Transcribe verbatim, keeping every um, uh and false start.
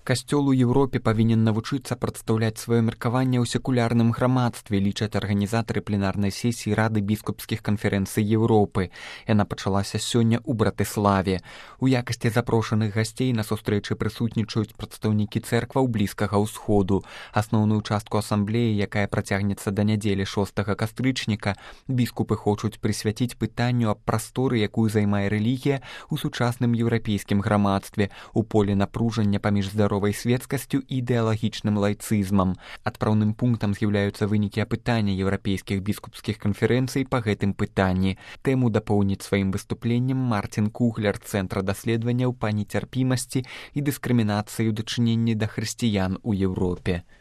Касцёл у Еўропе павінен навучыцца прадстаўляць сваё меркаванне ў секулярным грамадстве, лічаць арганізатары пленарнай сесіі Рады біскупскіх канферэнцый Еўропы. Яна пачалася сёння ў Братыславе. У якасці запрошаных гасцей на сустрэчы прысутнічаюць прадстаўнікі цэркваў Блізкага ўсходу. Асноўную частку асамблеі, якая працягнецца да нядзелі шостага кастрычніка, біскупы хочуць прысвяціць пытанню аб прасторы, якую займае рэлігія ў сучасным еўрапейскім грамадстве, у поле напружання паміж здаровай светскасцю і ідэалагічным лайцызмам. Адпраўным пунктам з'яўляюцца вынікі апытання еўрапейскіх біскупскіх канферэнцый па гэтым пытанні. Тэму дапоўніць сваім выступленнем Марцін Кугляр, Цэнтра даследаванняў па нецярпімасці і дыскрымінацыі ў дачыненні да хрысціян у Еўропе.